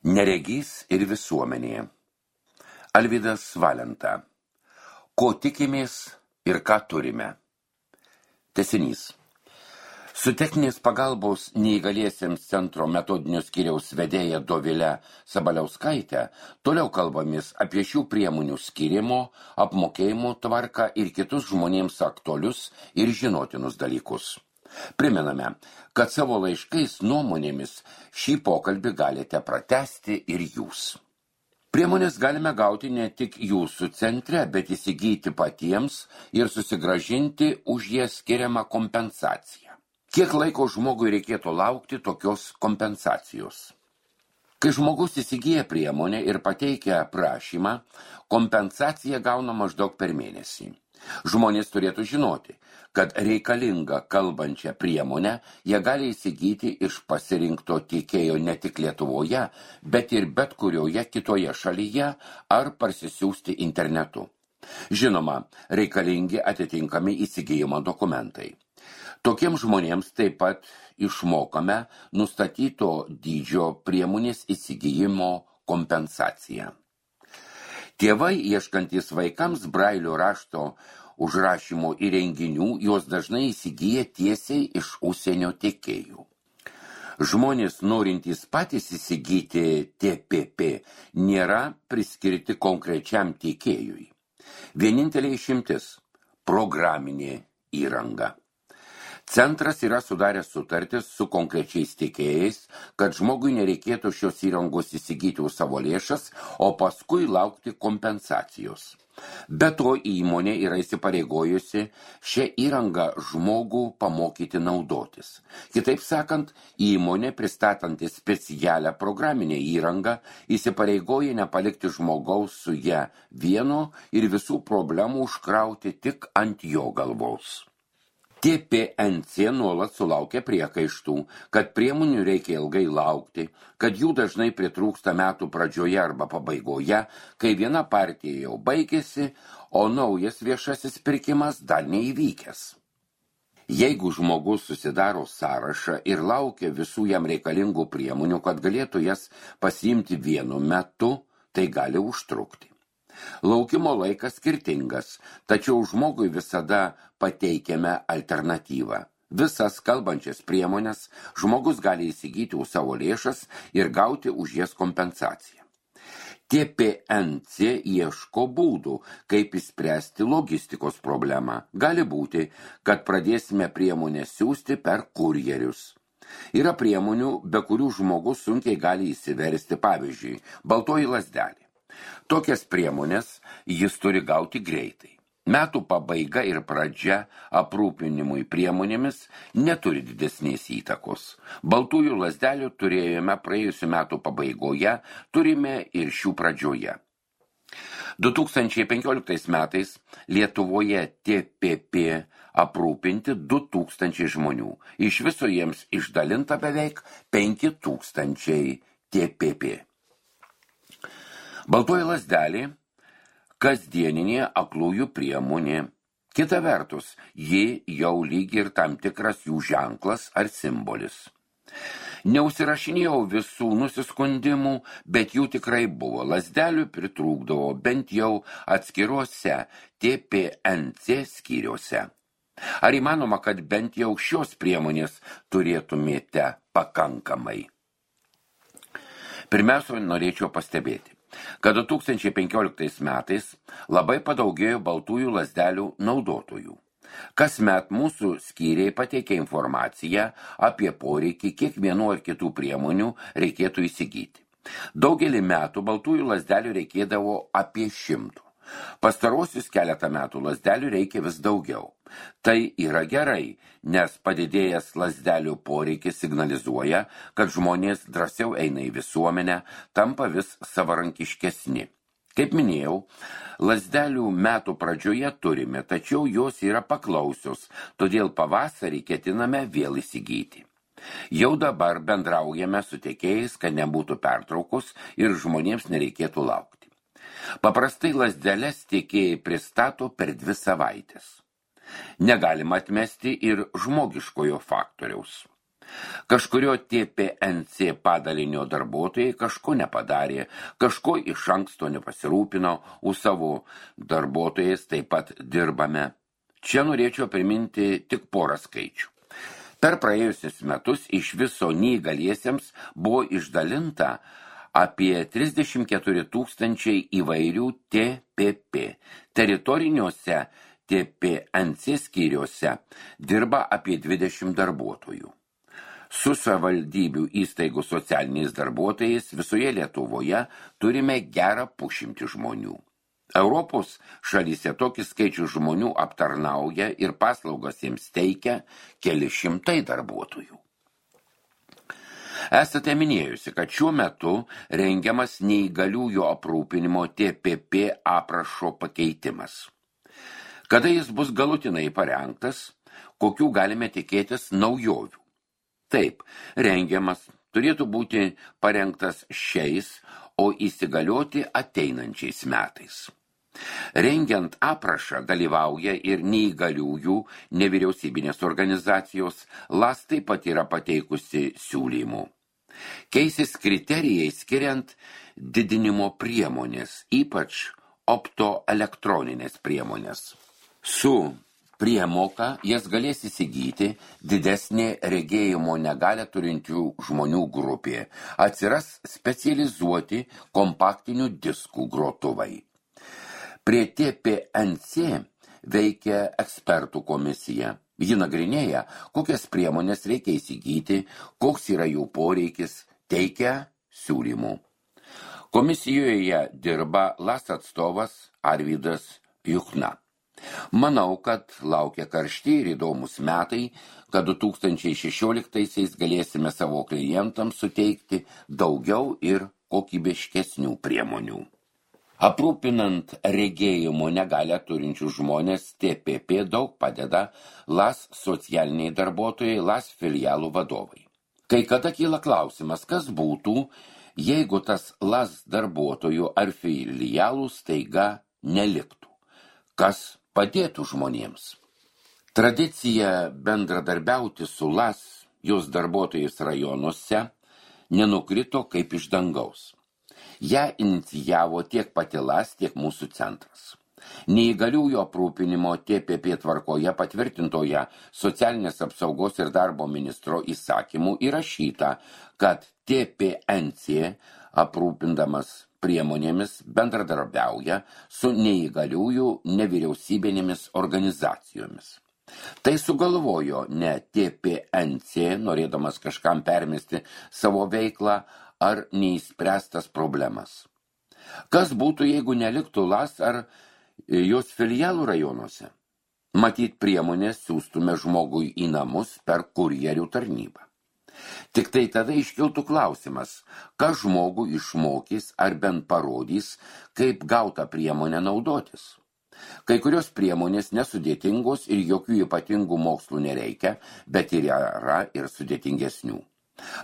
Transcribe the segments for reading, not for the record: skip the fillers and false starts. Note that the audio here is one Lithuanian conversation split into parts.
Neregys ir visuomenė. Alvydas Valenta. Ko tikimės ir ką turime? Tęsinys. Su techninės pagalbos neįgaliesiems centro metodinio skyriaus vedėja Dovile Sabaliauskaite toliau kalbamės apie šių priemonių skyrimo, apmokėjimo tvarką ir kitus žmonėms aktualius ir žinotinus dalykus. Primename, kad savo laiškais nuomonėmis šį pokalbį galite pratęsti ir jūs. Priemonės galime gauti ne tik jūsų centre, bet įsigyti patiems ir susigrąžinti už jas skiriamą kompensaciją. Kiek laiko žmogui reikėtų laukti tokios kompensacijos? Kai žmogus įsigyja priemonę ir pateikia prašymą, kompensacija gauna maždaug per mėnesį. Žmonės turėtų žinoti, kad reikalingą kalbančią priemonę jie gali įsigyti iš pasirinkto tiekėjo ne tik Lietuvoje, bet ir bet kurioje kitoje šalyje ar parsisiųsti internetu. Žinoma, reikalingi atitinkami įsigijimo dokumentai. Tokiems žmonėms taip pat išmokame nustatyto dydžio priemonės įsigijimo kompensaciją. Tėvai, ieškantys vaikams brailio rašto užrašymo įrenginių, juos dažnai įsigyja tiesiai iš užsienio tiekėjų. Žmonės, norintys patys įsigyti TPP, nėra priskirti konkrečiam tiekėjui. Vienintelė išimtis – programinė įranga. Centras yra sudaręs sutartis su konkrečiais tiekėjais, kad žmogui nereikėtų šios įrangos įsigyti už savo lėšas, o paskui laukti kompensacijos. Be to įmonė yra įsipareigojusi šią įrangą žmogų pamokyti naudotis. Kitaip sakant, įmonė, pristatanti specialią programinę įrangą, įsipareigoja nepalikti žmogaus su ja vieno ir visų problemų užkrauti tik ant jo galvos. TPNC nuolat sulaukia priekaištų, kad priemonių reikia ilgai laukti, kad jų dažnai pritrūksta metų pradžioje arba pabaigoje, kai viena partija jau baigėsi, o naujas viešasis pirkimas dar neįvykęs. Jeigu žmogus susidaro sąrašą ir laukia visų jam reikalingų priemonių, kad galėtų jas pasiimti vienu metu, tai gali užtrukti. Laukimo laikas skirtingas, tačiau žmogui visada pateikiame alternatyvą. Visas kalbančias priemonės žmogus gali įsigyti už savo lėšas ir gauti už jas kompensaciją. TPNC ieško būdų, kaip išspręsti logistikos problemą. Gali būti, kad pradėsime priemonę siųsti per kurjerius. Yra priemonių, be kurių žmogus sunkiai gali įsiversti, pavyzdžiui, baltoji lazdelė. Tokias priemonės jis turi gauti greitai. Metų pabaiga ir pradžia aprūpinimui priemonėmis neturi didesnės įtakos. Baltųjų lazdelių turėjome praėjusių metų pabaigoje, turime ir šių pradžioje. 2015 metais Lietuvoje TPP aprūpinti 2000 žmonių. Iš viso jiems išdalinta beveik 5000 TPP. Baltoji lazdelė – kasdieninė aklųjų priemonė. Kita vertus, ji jau lyg ir tam tikras jų ženklas ar simbolis. Neužsirašinėjau visų nusiskundimų, bet jų tikrai buvo. Lazdelių pritrūkdavo bent jau atskiruose TPNC skyriuose. Ar įmanoma, kad bent jau šios priemonės turėtumėte pakankamai? Pirmiausia, norėčiau pastebėti, kad 2015 metais labai padaugėjo baltųjų lazdelių naudotojų. Kasmet mūsų skyriai pateikia informaciją apie poreikį, kiek vienų ar kitų priemonių reikėtų įsigyti. Daugelį metų baltųjų lazdelių reikėdavo apie 100. Pastarosius keletą metų lazdelių reikia vis daugiau. Tai yra gerai, nes padidėjęs lazdelių poreikis signalizuoja, kad žmonės drąsiau eina į visuomenę, tampa vis savarankiškesni. Kaip minėjau, lazdelių metų pradžioje turime, tačiau jos yra paklausios, todėl pavasarį ketiname vėl įsigyti. Jau dabar bendraujame su tiekėjais, kad nebūtų pertraukos ir žmonėms nereikėtų laukti. Paprastai lazdeles tiekėjai pristato per 2 savaites. Negalima atmesti ir žmogiškojo faktoriaus. Kažkurio TPNC padalinio darbuotojai kažko nepadarė, kažko iš anksto nepasirūpino, už savo darbuotojais taip pat dirbame. Čia norėčiau priminti tik porą skaičių. Per praėjusius metus iš viso neįgaliesiems buvo išdalinta apie 34 000 įvairių TPP. Teritoriniuose TPNC skyriuose dirba apie 20 darbuotojų. Su savivaldybių įstaigų socialiniais darbuotojais visoje Lietuvoje turime gerą 100 žmonių. Europos šalyse tokį skaičių žmonių aptarnauja ir paslaugas jiems teikia keli šimtai darbuotojų. Esate minėjusi, kad šiuo metu rengiamas neįgaliųjų aprūpinimo TPP aprašo pakeitimas. Kada jis bus galutinai parengtas, kokių galime tikėtis naujovių? Taip, rengiamas turėtų būti parengtas šiais, o įsigalioti ateinančiais metais. Rengiant aprašą dalyvauja ir neįgaliųjų nevyriausybinės organizacijos, LAS taip pat yra pateikusi siūlymų. Keisis kriterijai skiriant didinimo priemonės, ypač optoelektroninės priemonės. Su priemoka jas galės įsigyti didesnė regėjimo negalią turinčių žmonių grupė. Atsiras specializuoti kompaktinių diskų grotuvai. Prie TPNC veikia ekspertų komisija. Ji nagrinėja, kokias priemonės reikia įsigyti, koks yra jų poreikis, teikia siūlymų. Komisijoje dirba LAS atstovas Arvydas Juchna. Manau, kad laukia karšti ir įdomus metai, kad 2016 galėsime savo klientams suteikti daugiau ir kokybiškesnių priemonių. Aprūpinant regėjimo negalią turinčių žmonės TPP daug padeda LAS socialiniai darbuotojai, LAS filialų vadovai. Kai kada kyla klausimas, kas būtų, jeigu tas LAS darbuotojų ar filialų staiga neliktų? Kas padėtų žmonėms? Tradicija bendradarbiauti su LAS, jos darbuotojais rajonuose, nenukrito kaip iš dangaus. Ja inicijavo tiek pati LAS, tiek mūsų centras. Neįgaliųjų aprūpinimo TPP tvarkoje patvirtintoje socialinės apsaugos ir darbo ministro įsakymų įrašyta, kad TPNC aprūpindamas priemonėmis bendradarbiauja su neįgaliųjų nevyriausybinėmis organizacijomis. Tai sugalvojo ne TPNC, norėdamas kažkam permesti savo veiklą ar neįspręstas problemas. Kas būtų, jeigu neliktų LAS ar jos filialų rajonuose? Matyt, priemonės siųstume žmogui į namus per kurjerių tarnybą. Tik tai tada iškiltų klausimas, kas žmogų išmokys ar bent parodys, kaip gautą priemonę naudotis. Kai kurios priemonės nesudėtingos ir jokių ypatingų mokslų nereikia, bet ir yra ir sudėtingesnių.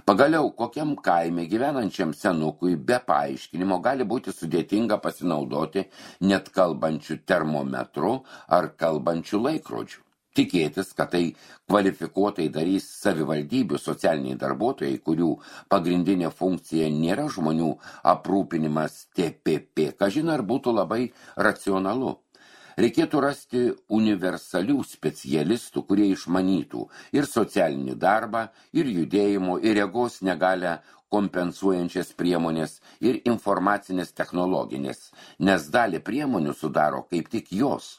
Pagaliau, kokiam kaime gyvenančiam senukui be paaiškinimo gali būti sudėtinga pasinaudoti net kalbančių termometrų ar kalbančių laikrodžių. Tikėtis, kad tai kvalifikuotai darys savivaldybių socialiniai darbuotojai, kurių pagrindinė funkcija nėra žmonių aprūpinimas TPP, kažin ar būtų labai racionalu. Reikėtų rasti universalių specialistų, kurie išmanytų ir socialinį darbą, ir judėjimo, ir regos negalią kompensuojančias priemonės, ir informacinės technologinės, nes dalį priemonių sudaro kaip tik jos.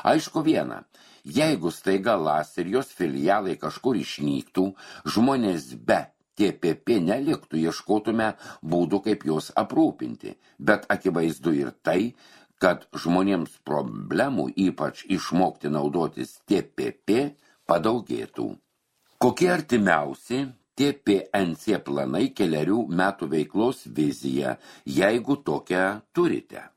Aišku viena, jeigu staiga LAS ir jos filialai kažkur išnyktų, žmonės be TPP neliktų, ieškotume būdų, kaip juos aprūpinti, bet akivaizdu ir tai, kad žmonėms problemų, ypač išmokti naudotis TPP, padaugėtų. Kokie artimiausi TPNC planai kelerių metų veiklos vizija, jeigu tokią turite?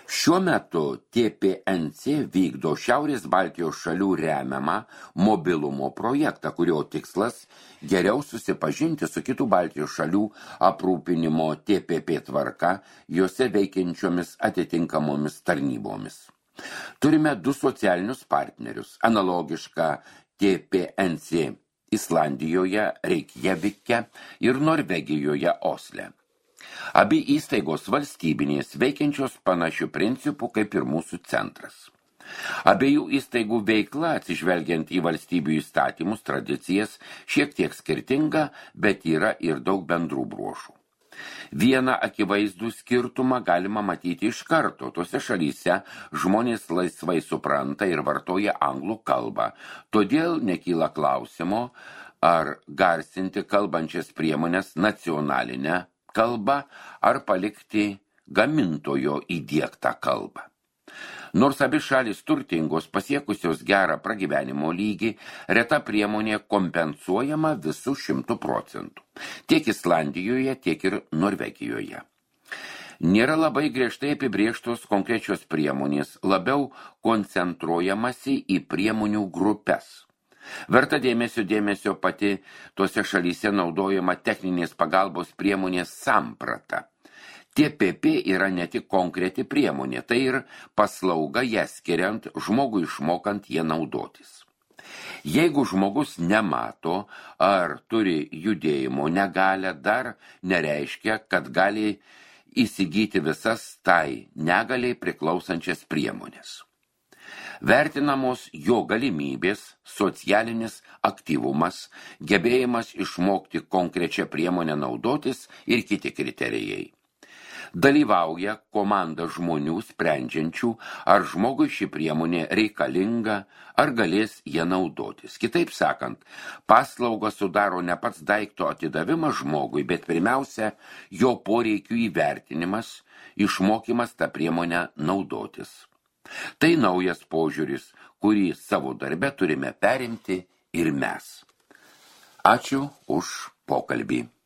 Šiuo metu TPNC vykdo Šiaurės Baltijos šalių remiamą mobilumo projektą, kurio tikslas geriau susipažinti su kitų Baltijos šalių aprūpinimo TPP tvarka, juose veikiančiomis atitinkamomis tarnybomis. Turime 2 socialinius partnerius, analogišką TPNC Islandijoje Reikjavike ir Norvegijoje Osle. Abi įstaigos valstybinės veikiančios panašių principų kaip ir mūsų centras. Abiejų įstaigų veikla, atsižvelgiant į valstybių įstatymus, tradicijas, šiek tiek skirtinga, bet yra ir daug bendrų bruožų. Vieną akivaizdų skirtumą galima matyti iš karto. Tose šalyse žmonės laisvai supranta ir vartoja anglų kalbą. Todėl nekyla klausimo, ar garsinti kalbančias priemonės nacionalinę kalbą, ar palikti gamintojo įdiegtą kalbą. Nors abi šalis turtingos, pasiekusios gerą pragyvenimo lygį, reta priemonė kompensuojama visų 100%. Tiek Islandijoje, tiek ir Norvegijoje. Nėra labai griežtai apibrėžtos konkrečios priemonės, labiau koncentruojamasi į priemonių grupes. Verta dėmesio pati tose šalyse naudojama techninės pagalbos priemonės samprata. TPP yra ne tik konkreti priemonė, tai ir paslauga ją skiriant, žmogui išmokant ją naudotis. Jeigu žmogus nemato ar turi judėjimo negalią, dar nereiškia, kad gali įsigyti visas tai negaliai priklausančias priemonės. Vertinamos jo galimybės, socialinis aktyvumas, gebėjimas išmokti konkrečią priemonę naudotis ir kiti kriterijai. Dalyvauja komanda žmonių sprendžiančių, ar žmogui ši priemonė reikalinga, ar galės ją naudotis. Kitaip sakant, paslauga sudaro ne pats daikto atidavimas žmogui, bet pirmiausia, jo poreikių įvertinimas, išmokymas tą priemonę naudotis. Tai naujas požiūris, kurį savo darbe turime perimti ir mes. Ačiū už pokalbį.